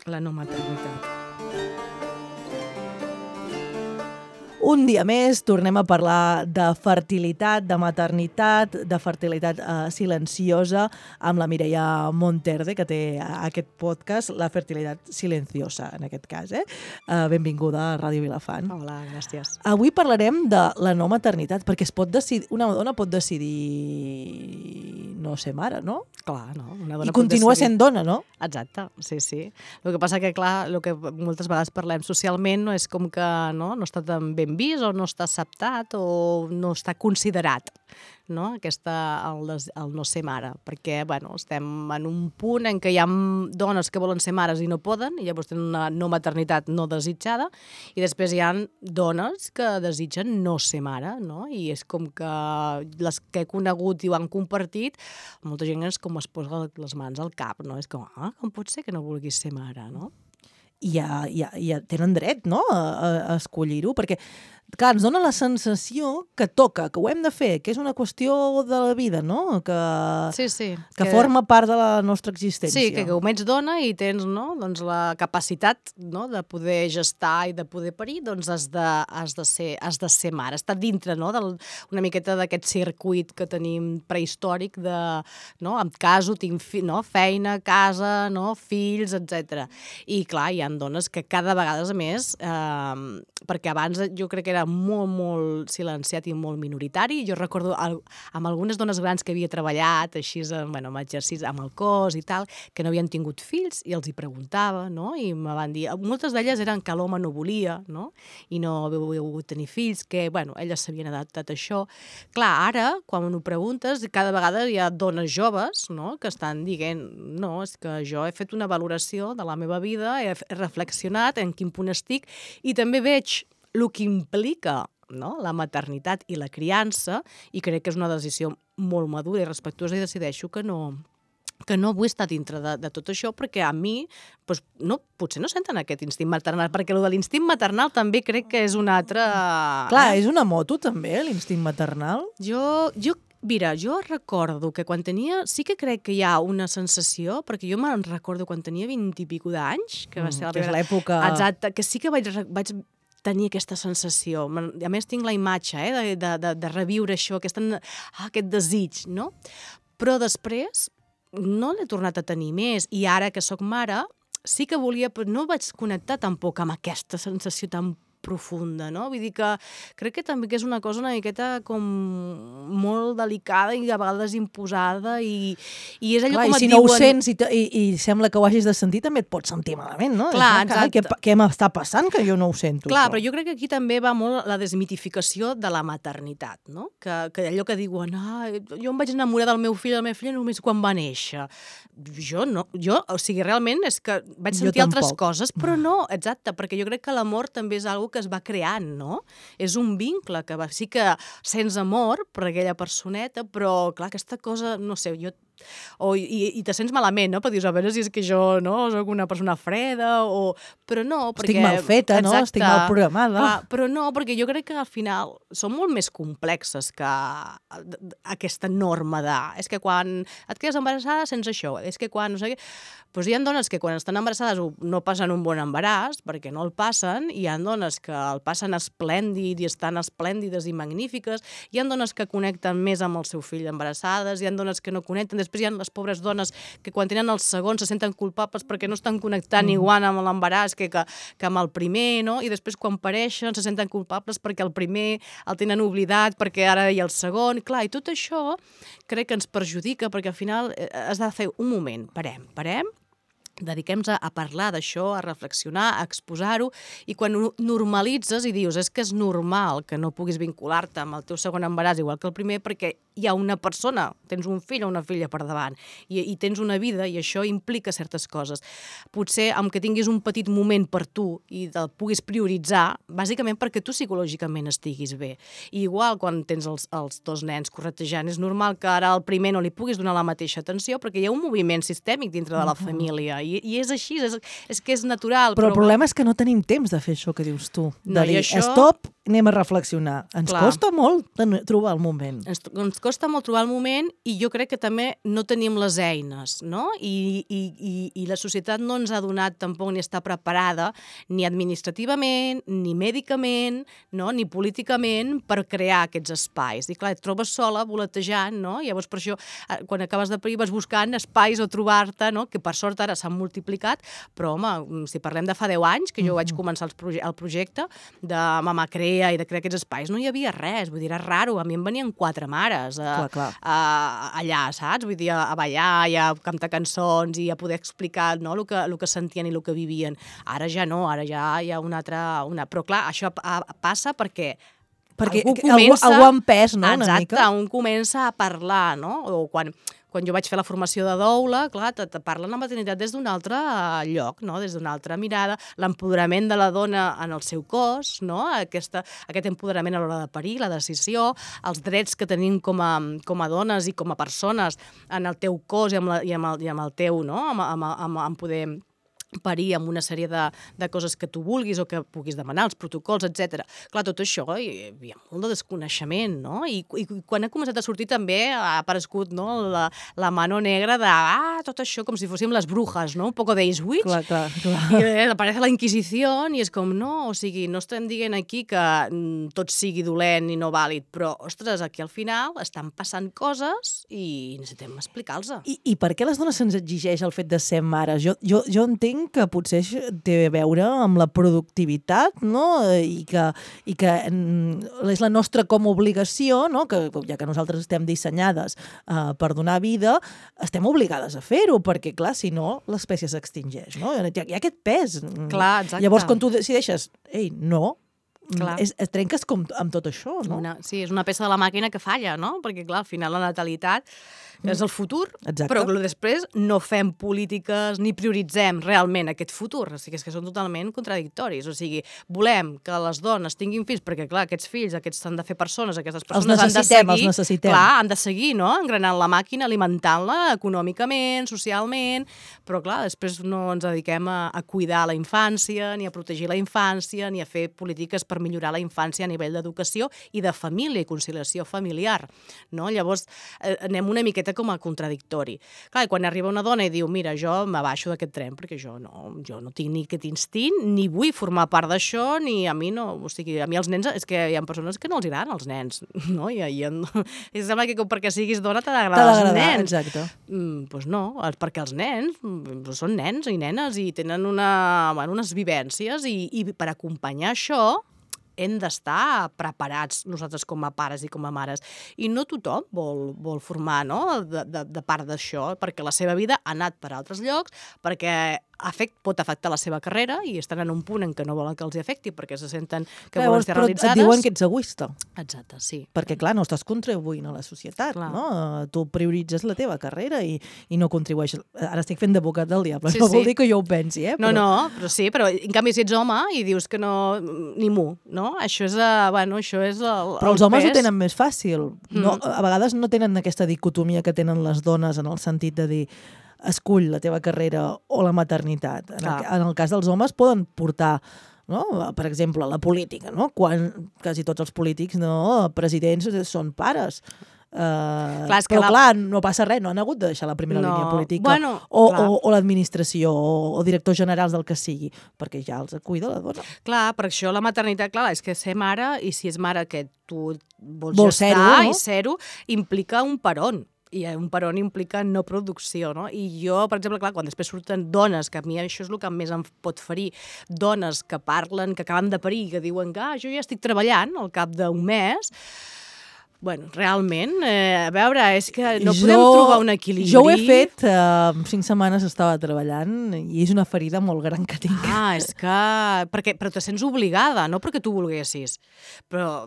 La no maternitat. Un dia més tornem a parlar de fertilitat, de maternitat, de fertilitat silenciosa, amb la Mireia Monterde, que té aquest podcast, La fertilitat silenciosa, en aquest cas. Benvinguda a Ràdio Vilafant. Hola, gràcies. Avui parlarem de la no maternitat, perquè una dona pot decidir no ser mare, no? Clar, no? Una dona I continua pot decidir. sent dona, no? Exacte, sí. El que passa que, clar, el que moltes vegades parlem socialment no és com que no està tan ben vist o no està acceptat o no està considerat, no? El no ser mare, perquè, bueno, estem en un punt en què hi ha dones que volen ser mares i no poden, i llavors tenen una no maternitat no desitjada, i després hi ha dones que desitgen no ser mare, no? I és com que les que he conegut i ho han compartit, molta gent és com es posa les mans al cap, no? És com, com pot ser que no vulguis ser mare, no? I ja tenen dret, no?, a escollir-ho, perquè, clar, ens dona la sensació que toca, que ho hem de fer, que és una qüestió de la vida, no?, Sí. Que forma part de la nostra existència. Sí, que com ets dona i tens, no?, doncs la capacitat, no?, de poder gestar i de poder parir, doncs has de ser mare. Està dintre, no?, una miqueta d'aquest circuit que tenim prehistòric de, no?, em caso, tinc feina, casa, no?, fills, etc. I clar, hi ha dones que cada vegada més, perquè abans jo crec que era molt silenciat i molt minoritari. Jo recordo amb algunes dones grans que havia treballat així, amb exercicis, amb el cos i tal, que no havien tingut fills i els hi preguntava, no? I me van dir, moltes d'elles eren que l'home no volia, no? I no havia volgut tenir fills, que, bueno, elles s'havien adaptat a això. Clar, ara, quan ho preguntes, cada vegada hi ha dones joves, no?, que estan dient, no, és que jo he fet una valoració de la meva vida, he reflexionat en quin punt estic i també veig el que implica, no?, la maternitat i la criança, i crec que és una decisió molt madura i respectuosa, i decideixo que no vull estar dintre de tot això, perquè a mi doncs, potser no senten aquest instint maternal, perquè el de l'instint maternal també crec que és un altre... Clar, és una moto també, l'instint maternal? Mira, jo recordo que quan tenia... Sí que crec que hi ha una sensació, perquè jo me'n recordo quan tenia 20 i pico d'anys, que va ser la primera... Que és l'època... Exacte, que sí que vaig tenir aquesta sensació. A més, tinc la imatge de reviure això, aquest desig, no? Però després no l'he tornat a tenir més, i ara que sóc mare sí que volia, però no vaig connectar tampoc amb aquesta sensació tan profunda, no? Vull dir que crec que també que és una cosa una miqueta com molt delicada i a vegades imposada, i és allò com et diuen... I si no ho sents i sembla que ho hagis de sentir, també et pots sentir malament, no? Clar, exacte. Què m'està passant que jo no ho sento? Clar, però jo crec que aquí també va molt la desmitificació de la maternitat, no? Que allò que diuen, jo em vaig enamorar del meu fill, de la meva filla només quan va néixer. Jo no, o sigui, realment és que vaig sentir altres coses, però no, exacte, perquè jo crec que l'amor també és una que es va creant, no? És un vincle que sí que sents amor per aquella personeta, però clar, aquesta cosa, no sé, i te sents malament, no? Perquè dius, a veure si és que jo no soc una persona freda, però no, perquè... Estic mal feta, no? Estic mal programada. Clar, però no, perquè jo crec que al final són molt més complexes que aquesta norma de... És que quan et quedes embarassada sents això, és que quan no sé què... Doncs hi ha dones que quan estan embarassades no passen un bon embaràs, perquè no el passen, i hi ha dones que el passen esplèndid i estan esplèndides i magnífiques, hi ha dones que connecten més amb el seu fill embarassades, hi ha dones que no connecten, després hi ha les pobres dones que quan tenen el segon se senten culpables perquè no estan connectant igual amb l'embaràs que amb el primer, no? I després quan pareixen se senten culpables perquè el primer el tenen oblidat, perquè ara hi ha el segon, clar, i tot això crec que ens perjudica, perquè al final has de fer un moment, parem, dediquem-nos a parlar d'això, a reflexionar, a exposar-ho, i quan ho normalitzes i dius, és que és normal que no puguis vincular-te amb el teu segon embaràs igual que el primer, perquè hi ha una persona, tens un fill o una filla per davant, i tens una vida, i això implica certes coses. Potser, amb que tinguis un petit moment per tu i el puguis prioritzar, bàsicament perquè tu psicològicament estiguis bé. I igual, quan tens els dos nens corretejant, és normal que ara al primer no li puguis donar la mateixa atenció, perquè hi ha un moviment sistèmic dintre de la família, I és així, és que és natural. Però el problema és que no tenim temps de fer això que dius tu. De dir, stop, anem a reflexionar. Ens costa molt trobar el moment. Ens costa molt trobar el moment i jo crec que també no tenim les eines, no? I la societat no ens ha donat tampoc ni està preparada ni administrativament, ni mèdicament, no? Ni políticament per crear aquests espais. I clar, et trobes sola, voletejant, no? Llavors per això, quan acabes de parir, vas buscant espais o trobar-te, no? Que per sort ara s'han multiplicat, però home, si parlem de fa 10 anys, que jo vaig començar el projecte de Mama Crea i de crear aquests espais, no hi havia res, vull dir, era raro, a mi em venien 4 mares allà, saps? Vull dir, a ballar i a cantar cançons i a poder explicar, no? el que sentien i el que vivien. Ara ja no, ara ja hi ha una altra... Però clar, això passa perquè algú ha empès, no? Exacte, un comença a parlar, no? O quan jo vaig fer la formació de doula, clar, te parlen la maternitat des d'un altre lloc, no? Des d'una altra mirada, l'empoderament de la dona en el seu cos, no? Aquest empoderament a l'hora de parir, la decisió, els drets que tenim com a dones i com a persones en el teu cos i amb el teu, no? Amb poder parir amb una sèrie de coses que tu vulguis o que puguis demanar, els protocols, etc. Clar, tot això hi havia molt de desconeixement, no? I quan ha començat a sortir també ha aparegut, no, la mano negra de tot això com si fóssim les brujas, no? Un poco de East Witch. Clar. I aparece la Inquisició i és com, no, o sigui, no estem dient aquí que tot sigui dolent i no vàlid, però, ostres, aquí al final estan passant coses i necessitem explicar-los. I per què les dones se'ns exigeix el fet de ser mares? Jo entenc que potser té a veure amb la productivitat, no? I que és la nostra com a obligació, no? Que ja que nosaltres estem dissenyades per donar vida, estem obligades a fer-ho, perquè, clar, si no, l'espècie s'extingeix, no? Hi ha aquest pes. Clar, exacte. Llavors, quan tu decideixes, no, es trenques com amb tot això, no? Sí, és una peça de la màquina que falla, no? Perquè, clar, al final la natalitat és el futur, exacte. Però després no fem polítiques ni prioritzem realment aquest futur. O sigui, és que són totalment contradictoris. O sigui, volem que les dones tinguin fills, perquè, clar, aquests fills han de fer persones, aquestes persones els necessitem. Clar, han de seguir, no? Engranant la màquina, alimentant-la econòmicament, socialment, però, clar, després no ens dediquem a cuidar la infància, ni a protegir la infància, ni a fer polítiques per millorar la infància a nivell d'educació i de família i conciliació familiar, no? Llavors, anem una miqueta com a contradictori. Clar, quan arriba una dona i diu, mira, jo m'abaixo d'aquest tren perquè jo no tinc ni aquest instint, ni vull formar part d'això, ni a mi no... O sigui, a mi els nens... És que hi ha persones que no els agraden els nens, no? I sembla que perquè siguis dona t'ha d'agradar els nens. Exacte. Doncs no, perquè els nens són nens i nenes i tenen unes vivències i per acompanyar això hem d'estar preparats nosaltres com a pares i com a mares. I no tothom vol formar, no?, de part d'això, perquè la seva vida ha anat per altres llocs, perquè pot afectar la seva carrera i estan en un punt en què no volen que els hi afecti perquè se senten que volen ser realitzades. Però et diuen que ets egoista. Exacte, sí. Perquè, clar, no estàs contribuint a la societat, clar. No? Tu prioritzes la teva carrera i no contribueixes. Ara estic fent d'advocat del diable, no vol dir que jo ho pensi, No, però sí, però en canvi si ets home i dius que no... ni mu, no? Això és el però els homes ho tenen més fàcil. No, a vegades no tenen aquesta dicotomia que tenen les dones en el sentit de dir escull la teva carrera o la maternitat. En el cas dels homes poden portar, no? Per exemple, la política, no? Quan quasi tots els polítics, presidents, són pares. Clar, no passa res, no han hagut de deixar la primera línia política o l'administració o directors generals del que sigui, perquè ja els cuida la dona. Clar, per això la maternitat, clar, és que ser mare, i si és mare que tu vols gestar i ser-ho, implica un peron. I un peron implica no producció, no? I jo, per exemple, clar, quan després surten dones, que a mi això és el que més em pot ferir, dones que parlen, que acaben de parir, que diuen que jo ja estic treballant al cap d'un mes. Bueno, realment, a veure, és que no podem trobar un equilibri. Jo ho he fet, 5 setmanes estava treballant i és una ferida molt gran que tinc. És que... Però te sents obligada, no perquè tu volguessis. Però...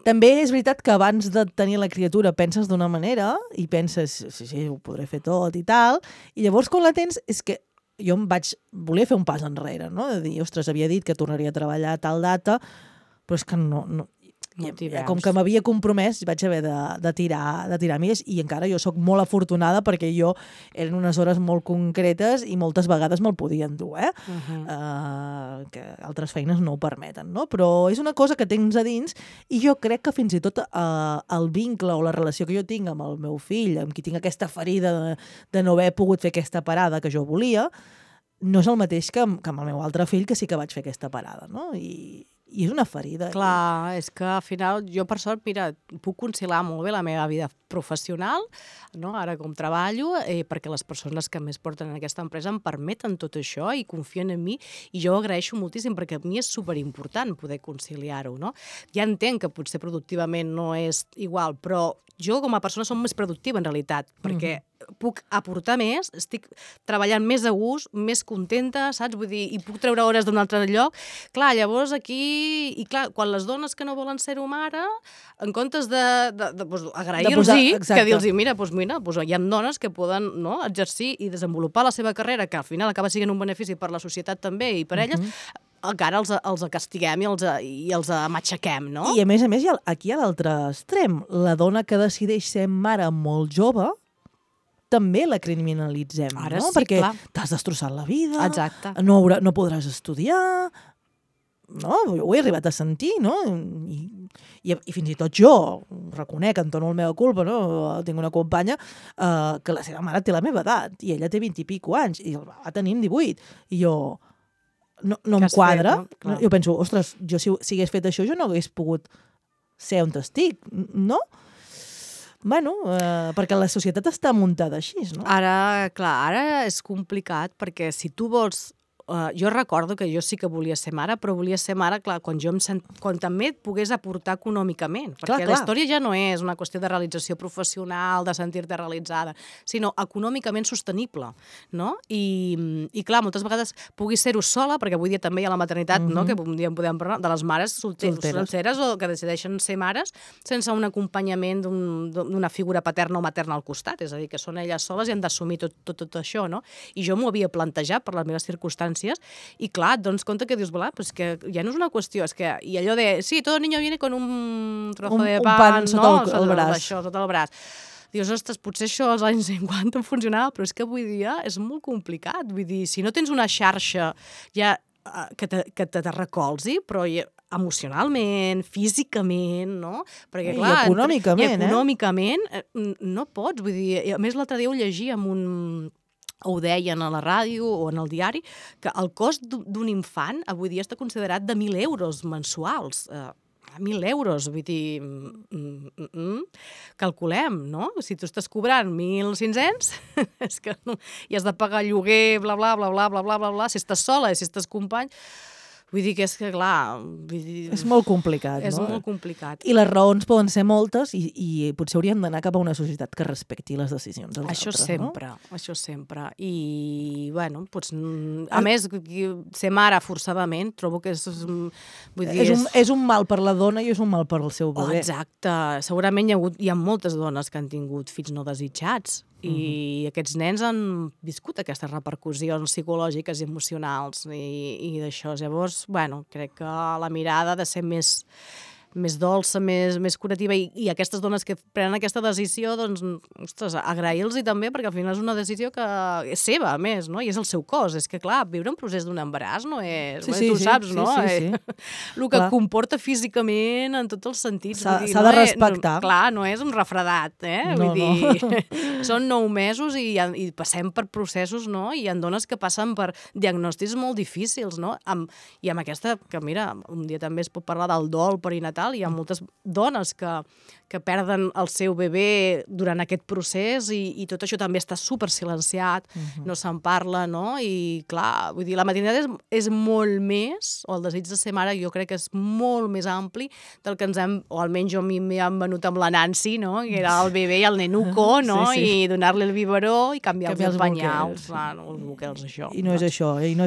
També és veritat que abans de tenir la criatura penses d'una manera i penses, sí, ho podré fer tot i tal, i llavors quan la tens és que jo volia fer un pas enrere, no? De dir, ostres, havia dit que tornaria a treballar a tal data, però és que no com que m'havia compromès vaig haver de tirar més, i encara jo sóc molt afortunada perquè jo eren unes hores molt concretes i moltes vegades me'l podien dur, que altres feines no ho permeten, no? Però és una cosa que tens a dins, i jo crec que fins i tot el vincle o la relació que jo tinc amb el meu fill, amb qui tinc aquesta ferida de no haver pogut fer aquesta parada que jo volia, no és el mateix que amb el meu altre fill, que sí que vaig fer aquesta parada, no? I és una ferida. Clar, és que al final jo per sort, mira, puc conciliar molt bé la meva vida professional, no? Ara com treballo, perquè les persones que més porten en aquesta empresa em permeten tot això i confien en mi, i jo ho agraeixo moltíssim perquè a mi és superimportant poder conciliar-ho, no? Ja entenc que potser productivament no és igual, però jo com a persona som més productiva en realitat, perquè puc aportar més, estic treballant més a gust, més contenta, saps? Vull dir, i puc treure hores d'un altre lloc. Clar, llavors aquí... I clar, quan les dones que no volen ser-ho mare, en comptes d'agrair-los, que dir-los, mira, hi ha dones que poden exercir i desenvolupar la seva carrera, que al final acaba sent un benefici per la societat també i per elles, encara els castiguem i els matxaquem, no? I a més, aquí a l'altre extrem, la dona que decideix ser mare molt jove, també la criminalitzem, ara no? Sí, perquè clar. T'has destrossat la vida, exacte. No podràs estudiar, no? Jo ho he arribat a sentir, no? I fins i tot jo reconec, en tono la meva culpa, no? Tinc una companya que la seva mare té la meva edat, i ella té 20 i pico anys, i el va tenir 18, i jo... No em quadra. Fet, no? Jo penso, ostres, jo si hagués fet això, jo no hagués pogut ser on estic, no? Bueno, perquè la societat està muntada així, no? Ara és complicat, perquè si tu vols... jo recordo que jo sí que volia ser mare, però volia ser mare, clar, quan també et pogués aportar econòmicament, perquè la història ja no és una qüestió de realització professional, de sentir-te realitzada, sinó econòmicament sostenible, no? I clar, moltes vegades puguis ser-ho sola, perquè avui dia també hi ha la maternitat, no? Que un dia en podem parlar, de les mares solteres o que decideixen ser mares sense un acompanyament d'una figura paterna o materna al costat, és a dir, que són elles soles i han d'assumir tot això, no? I jo m'ho havia plantejat per les meves circumstàncies, i clar, et dones compte que dius, pues que ja no és una qüestió, és que, i allò de, sí, todo niño viene con un trozo de pan, sota el braç. Això, sota el braç. Dius, ostres, potser això als anys 50 funcionava, però és que avui dia és molt complicat. Vull dir, si no tens una xarxa ja que te recolzi, però emocionalment, físicament, no? Perquè, clar, i econòmicament, no pots. Vull dir, a més, l'altre dia ho llegia amb ho deien a la ràdio o en el diari, que el cost d'un infant avui dia està considerat de 1.000 euros mensuals. 1.000 euros, vull dir, calculem, no? Si tu estàs cobrant 1.500, és que no, i has de pagar lloguer, bla, bla, bla, bla, bla, bla, bla, bla, si estàs sola i si estàs company... Vull dir que és que, clar... És molt complicat, no? És molt complicat. I les raons poden ser moltes i potser hauríem d'anar cap a una societat que respecti les decisions dels altres, no? Això sempre. I, bueno, doncs, a més, ser mare forçadament, trobo que és... Vull dir, és un mal per la dona i és un mal per al seu bebè. Exacte. Segurament hi ha moltes dones que han tingut fills no desitjats, i aquests nens han viscut aquestes repercussions psicològiques i emocionals i d'això. Llavors, bueno, crec que la mirada ha de ser més dolça, més curativa, i aquestes dones que prenen aquesta decisió, doncs, ostres, agrair-los també, perquè al final és una decisió que és seva, a més, no? I és el seu cos. És que, clar, viure un procés d'un embaràs no és... Sí, tu saps, no? Sí. El que comporta físicament en tots els sentits. S'ha de respectar. Clar, no és un refredat, No, vull dir, són 9 mesos i passem per processos, no? I hi ha dones que passen per diagnòstics molt difícils, no? I amb aquesta, que mira, un dia també es pot parlar del dol perinatal. Hi ha moltes dones que perden el seu bebè durant aquest procés i tot això també està super silenciat, no se'n parla, no? I clar, vull dir, la maternitat és molt més, o el desig de ser mare jo crec que és molt més ampli del que ens hem, o almenys a mi m'hi han venut amb la Nancy, no? Que era el bebè i el nenuco, no? I donar-li el biberó i canviar-li els banyals. Els boquels, això. I no és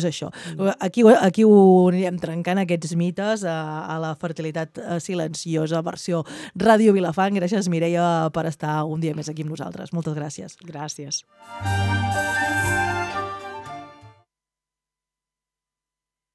això. Aquí ho anirem trencant, aquests mites, a la fertilitat silenciosa, versió Ràdio Vilafant. Gràcies, Mireia, per estar un dia més aquí amb nosaltres. Moltes gràcies. Gràcies.